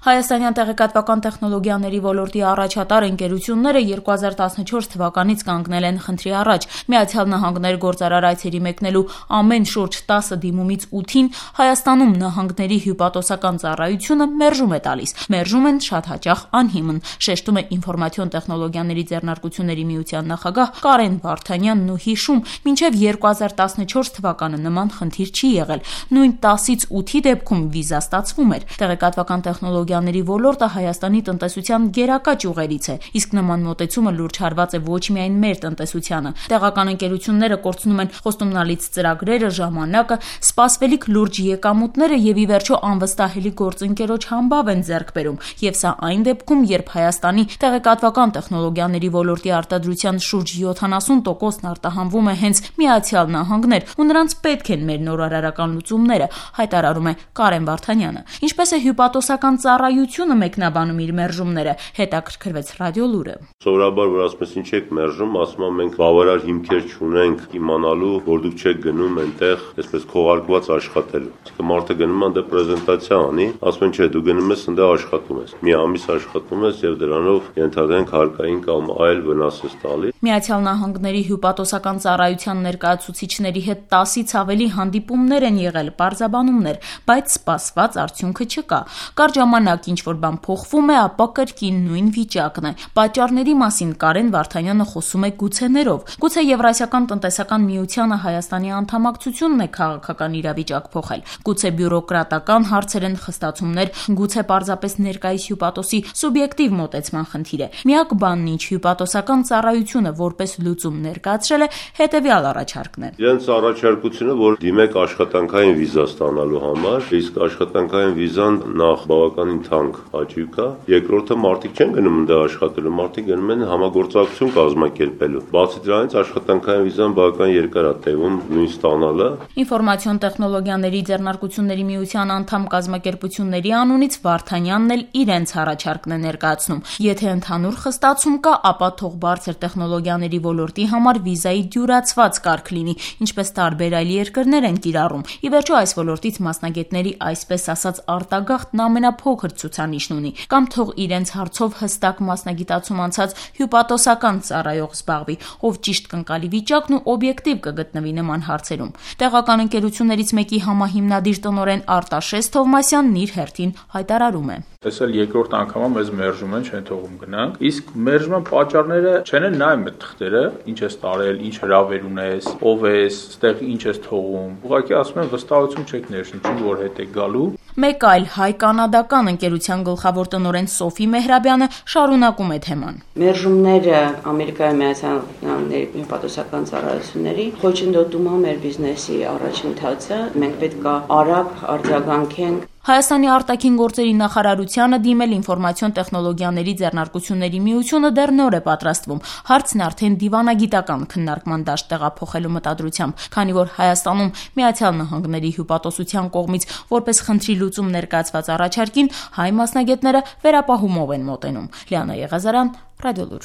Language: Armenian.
Հայաստանյան տեղեկատվական տեխնոլոգիաների ոլորտի առաջատար ընկերությունները 2014 թվականից կանգնել են խնդրի առաջ։ Միացյալ Նահանգներ գործարար այցերի մեկնելու ամեն շուրջ 10 դիմումից 8-ին Հայաստանում նահանգների հյուպատոսական ծառայությունը մերժում է տալիս։ Մերժում են շատ հաճախ անհիմն, շեշտում է Ինֆորմացիոն տեխնոլոգիաների ձեռնարկությունների միության նախագահ Կարեն Վարդանյանն ու հիշում, մինչև 2014 թվականը նման խնդիր չի եղել։ Նույն 10-ից 8-ի դեպքում վիզա ստացվում էր։ Տեղեկատվական տեխնոլոգիաների ոլորտը Հայաստանի տնտեսության գերակա ճյուղերից է, իսկ նման մոտեցումը լուրջ հարված է ոչ միայն մեր տնտեսությանը։ Տեղական ընկերությունները կորցնում են խոստումնալից ծրագրերը, ժամանակը, սպասվելիք լուրջ եկամուտները եւ ի վերջո անվստահելի գործընկերոջ համբավ են ձեռք բերում։ Եվ սա այն դեպքում, երբ Հայաստանի տեղեկատվական տեխնոլոգիաների ոլորտի արտադրության շուրջ 70%-ն արտահանվում է հենց Միացյալ Նահանգներ, ու նրանց պետք են մեր նորարարական լուծումները, հայտարարում է Կարեն Վարդանյանը։ Ինչպես է հյուպատոսական ծառայությունը մեկնաբանում իր մերժումները, հետաքրքրվեց Ռադիոլուրը։ Սովորաբար որ ասում ես ինչ եք մերժում, ասում եմ մենք բավարար հիմքեր չունենք իմանալու, որ դուք չեք գնում այնտեղ, այսպես քողարկված աշխատելու։ Իսկ մարդը գնում է այնտեղ պրեզենտացիա անի, ասում են չէ, դու գնում ես այնտեղ աշխատում ես։ Մի ամիս աշխատում ես եւ դրանով ենթադրենք հարկային կամ այլ վնաս ես տալի։ Միացյալ Նահանգների հյուպատոսական ծառայության ներկայացուցիչների հետ 10-ից ավելի հանդիպումներ են եղել, պարզաբանումներ, բայց սպասված արդյունքը չկա։ Կարճ ժամանակ ինչ որ բան փոխվում է, ապա կրկին նույն վիճակն է։ Պատճառների մասին Կարեն Վարդանյանը խոսում է գուցեներով։ Գուցե Եվրասիական տնտեսական միությանը Հայաստանի անդամակցությունն է քաղաքական իրավիճակ փոխել։ Գուցե բյուրոկրատական հարցեր են, խստացումներ, գուցե պարզապես ներկայիս հյուպատոսի սուբյեկտիվ մոտեցման խնդիր է։ Միակ բանն ինչ հյուպատոսական ծառայությունը որպես լուծում ներկայացրել է հետևյալ առաջարկն է։ Իրենց առաջարկությունը, որ դիմեք աշխատանքային վիզա ստանալու համար, իսկ աշխատանքային վիզան նախ բավականին թանկ հաճույք է, երկրորդը մարդիկ չեն գնում այնտեղ աշխատելու, մարդիկ գնում են համագործակցություն կազմակերպելու։ Բացի դրանից աշխատանքային վիզան բավական երկար է տևում նույն ստանալը։ Ինֆորմացիոն տեխնոլոգիաների ձեռնարկությունների միության անդամ կազմակերպությունների անունից Վարդանյանն էլ իրենց առաջարկն է ներկայացնում։ Եթե ընդհանուր խստացում կա, ապա թող բարձր տեխնոլոգիաների ոլորտի համար վիզայի դյուրացված կարգ լինի, ինչպես տարբեր այլ երկրներ են կիրառում։ Ի վերջո այս ոլորտից մասնագետների այսպես ասած արտագաղթն ամենափոքր ցուցանիշն ունի, կամ թող իրենց հարցով հստակ մասնագիտացում անցած հյուպատոսական ծառայող զբաղվի, ով ճիշտ կընկալի վիճակն ու օբյեկտիվ կգտնվի նման հարցերում։ Տեղական ընկերություններից մեկի համահիմնադիր տնօրեն Արտաշես Թովմասյանն իր հերթին հայտարարում է. Այս էլ երկրորդ անգամը մեզ մերժում են, չեն թողում գնանք։ Իսկ մերժման պատճառները չեն նայում այդ թղթերը, ինչ ես տարել, ինչ հրավեր ունես, ով ես, այստեղ ինչ ես թողում։ Ուղղակի ասում են վստահություն չեք ներշնչում, որ հետ եք գալու։ Մեկ այլ հայ-կանադական ընկերության գլխավոր տնօրեն Սոֆի Մեհրաբյանը շարունակում է թեման։ Մերժումները Ամերիկայի Միացյալ Նահանգների հյուպատոսական ծառայությունների խոչընդոտում է մեր բիզնեսի առաջընթացը։ Մենք պետք է արագ արձագանքենք։ Հայաստանի արտաքին գործերի նախարարությանը դիմել Ինֆորմացիոն տեխնոլոգիաների ձեռնարկությունների միությունը դեռ նոր է պատրաստվում։ Հարցն արդեն դիվանագիտական քննարկման դաշտ տեղափոխելու մտադրությամբ, քանի որ Հայաստանում Միացյալ Նահանգների հյուպատոսության կողմից որպես խնդրի լուծում ներկայացված առաջարկին հայ մասնագետները վերապահումով են մոտենում։ Լիանա Եղազարյան, Ռադիոլուր։